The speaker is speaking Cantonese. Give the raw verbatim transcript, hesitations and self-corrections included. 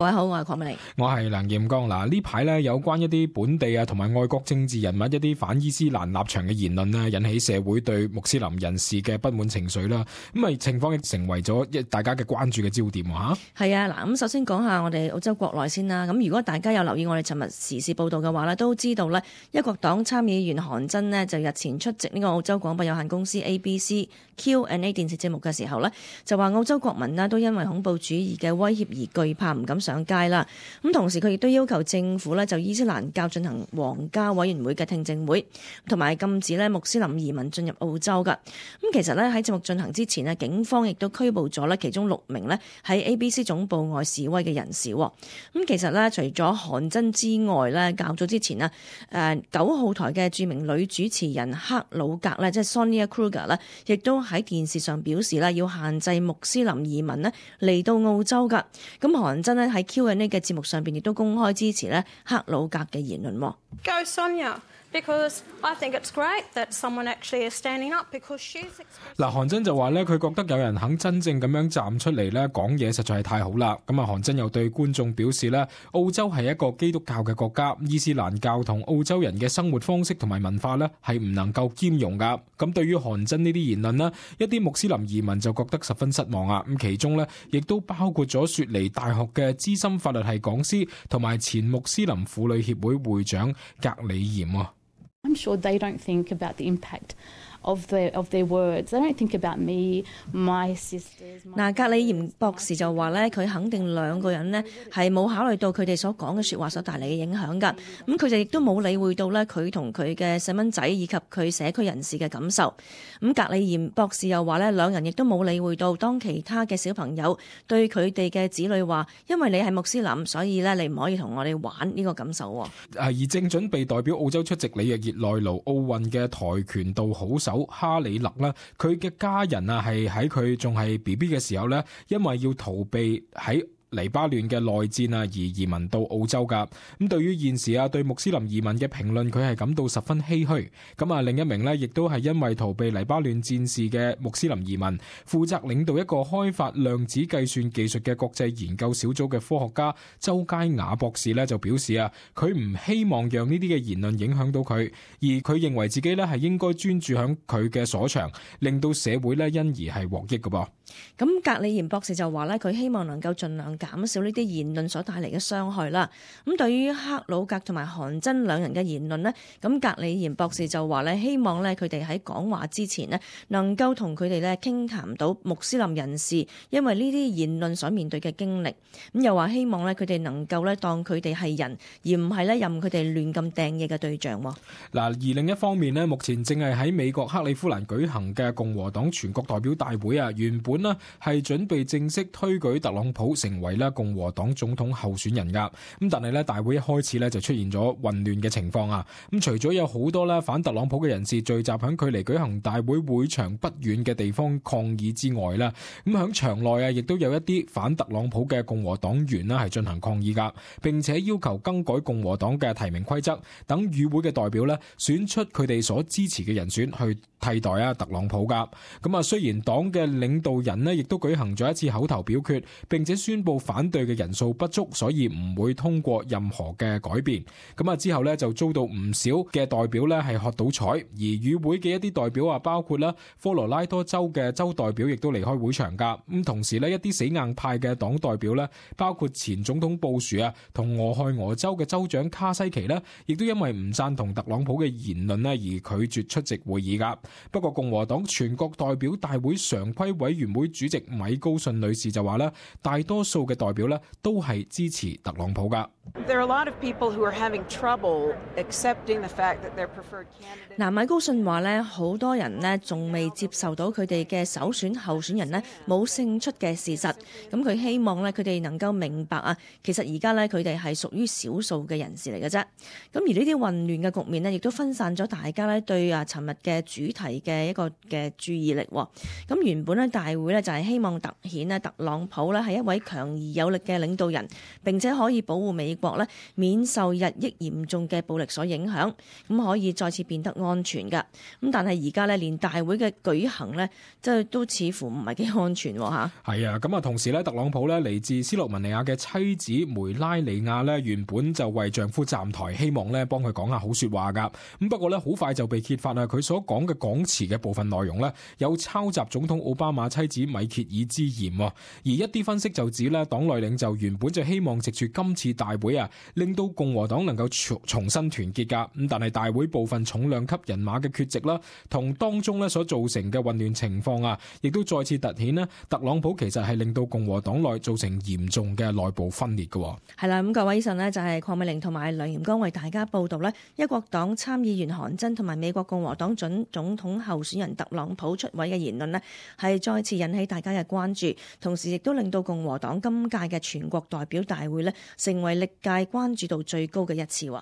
各位好，我係鄺美玲，我係梁彥剛。嗱，呢排咧有關一啲本地啊同埋外國政治人物一啲反伊斯蘭立場嘅言論咧，引起社會對穆斯林人士嘅不滿情緒啦。咁啊情況亦成為咗一大家嘅關注嘅焦點吓。係啊，嗱咁首先講下我哋澳洲國內先啦。咁如果大家有留意我哋尋日時事報道嘅話咧，都知道咧一國黨參議員韓真呢，就日前出席呢個澳洲廣播有限公司 A B C Q and A 電視節目嘅時候呢，就話澳洲國民呢都因為恐怖主義嘅威脅而懼怕，唔敢上街啦。咁同時佢亦都要求政府呢就伊斯蘭教進行皇家委員會嘅聽證會，同埋禁止呢穆斯林移民進入澳洲噶。咁其實呢，喺節目進行之前呢，警方亦都拘捕咗呢其中六名呢喺 A B C 總部外示威嘅人士。咁其實呢，除咗韓真之外呢，較早之前呢，誒九號台嘅著名女主持人克魯格呢，即係 Sonia Kruger 呢，亦都喺電視上表示呢要限制穆斯林移民呢嚟到澳洲噶。咁韓真呢喺 Q and A 嘅節目上邊亦都公開支持呢克魯格嘅言論。Go Sonia, because I think it's great that someone actually is standing up because she's. 嗱，韓真就話咧，佢覺得有人肯真正咁樣站出嚟咧講嘢，實在係太好啦。咁啊，韓真又對觀眾表示咧，澳洲係一個基督教嘅國家，伊斯蘭教同澳洲人嘅生活方式同埋文化咧係唔能夠兼容噶。咁對於韓真呢啲言論呢，一啲穆斯林移民就覺得十分失望啊。咁其中呢，亦都包括咗雪梨大學嘅資深法律系講師同埋前穆斯林婦女協會會長格里嫌啊。I'm sure they don't think about the impact of their of their words. They don't think about me, my sisters. 嗱，格里嫌博士就話咧，佢肯定兩個人呢係冇考慮到佢哋所講嘅説話所帶嚟嘅影響㗎。咁佢就亦都冇理會到咧佢同佢嘅細蚊仔以及佢社區人士嘅感受。咁格里嫌博士又話咧，兩人亦都冇理會到當其他嘅小朋友對佢哋嘅子女話，因為你係穆斯林，所以咧你唔可以同我哋玩呢個感受喎。而正準備代表澳洲出席里約熱內盧奧運嘅跆拳道好手哈里勒啦，佢嘅家人啊係喺佢仲係 B B 嘅時候咧，因為要逃避喺黎巴嫩嘅內戰啊，而移民到澳洲噶。咁對於現時啊對穆斯林移民嘅評論，佢係感到十分唏噓。咁啊，另一名呢，亦都係因為逃避黎巴嫩戰事嘅穆斯林移民，負責領導一個開發量子計算技術嘅國際研究小組嘅科學家周佳雅博士呢，就表示啊，佢唔希望讓呢啲嘅言論影響到佢，而佢認為自己呢係應該專注響佢嘅所長，令到社會呢因而係獲益㗎噃。咁格里嫌博士就話咧，佢希望能夠盡量減少呢啲言論所帶嚟嘅傷害啦。咁對於克魯格同埋韓真兩人嘅言論呢，咁格里嫌博士就話咧，希望咧佢哋喺講話之前呢，能夠同佢哋咧傾談到穆斯林人士因為呢啲言論所面對嘅經歷。咁又話希望咧佢哋能夠咧當佢哋係人，而唔係咧任佢哋亂咁掟嘢嘅對象。嗱，而另一方面呢，目前正係喺美國克里夫蘭舉行嘅共和黨全國代表大會啊，原本呢係準備正式推舉特朗普成為咧共和黨總統候選人噶。咁但係咧大會一開始咧就出現咗混亂嘅情況啊。咁除咗有好多咧反特朗普嘅人士聚集響距離舉行大會會場不遠嘅地方抗議之外啦，咁響場內啊亦都有一啲反特朗普嘅共和黨員啦係進行抗議噶，並且要求更改共和黨嘅提名規則，等與會嘅代表咧選出佢哋所支持嘅人選去替代啊特朗普噶。咁啊，雖然黨嘅領導人呢亦都舉行咗一次口頭表決，並且宣布反對嘅人數不足，所以唔會通過任何嘅改變。咁啊之後呢，就遭到唔少嘅代表呢係喝倒彩，而與會嘅一啲代表啊，包括啦科羅拉多州嘅州代表亦都離開會場噶。咁同時呢，一啲死硬派嘅黨代表呢，包括前總統布殊啊同俄亥俄州嘅州長卡西奇呢，亦都因為唔贊同特朗普嘅言論呢而拒絕出席會議噶。不過共和黨全國代表大會常規委員會主席米高遜女士就話咧，大多數嘅代表咧都係支持特朗普噶。嗱，米高遜話咧，好多人呢仲未接受到佢哋嘅首選候選人呢冇勝出嘅事實。咁佢希望咧佢哋能夠明白啊，其實而家咧佢哋係屬於少數嘅人士嚟嘅啫。咁而呢啲混亂嘅局面呢，亦都分散咗大家咧對啊尋日嘅主題嘅一個嘅注意力。咁原本咧大會咧就係希望突顯咧特朗普咧係一位強而而有力嘅領導人，並且可以保護美國咧免受日益嚴重嘅暴力所影響，咁可以再次變得安全㗎。咁但係而家咧連大會嘅舉行咧，即係都似乎唔係幾安全嚇。係啊，咁啊同時咧，特朗普咧嚟自斯洛文尼亞嘅妻子梅拉尼亞咧，原本就為丈夫站台，希望咧幫佢講下好説話㗎。咁不過咧，好快就被揭發啊，佢所講嘅講詞嘅部分內容咧，有抄襲總統奧巴馬妻子米歇爾之嫌。而一啲分析就指咧，黨內領袖原本就希望藉住今次大會啊，令到共和黨能夠重重新團結㗎。咁但係大會部分重量級人馬嘅缺席啦，同當中咧所造成嘅混亂情況啊，亦都再次突顯咧，特朗普其實係令到共和黨內造成嚴重嘅內部分裂嘅。係啦，咁各位，以上呢就係鄺美玲同埋梁炎光為大家報道呢一國黨參議員韓珍同埋美國共和黨準總統候選人特朗普出位嘅言論呢，係再次引起大家嘅關注，同時亦都令到共和黨今屆嘅全國代表大會呢成為歷屆關注度最高嘅一次喎。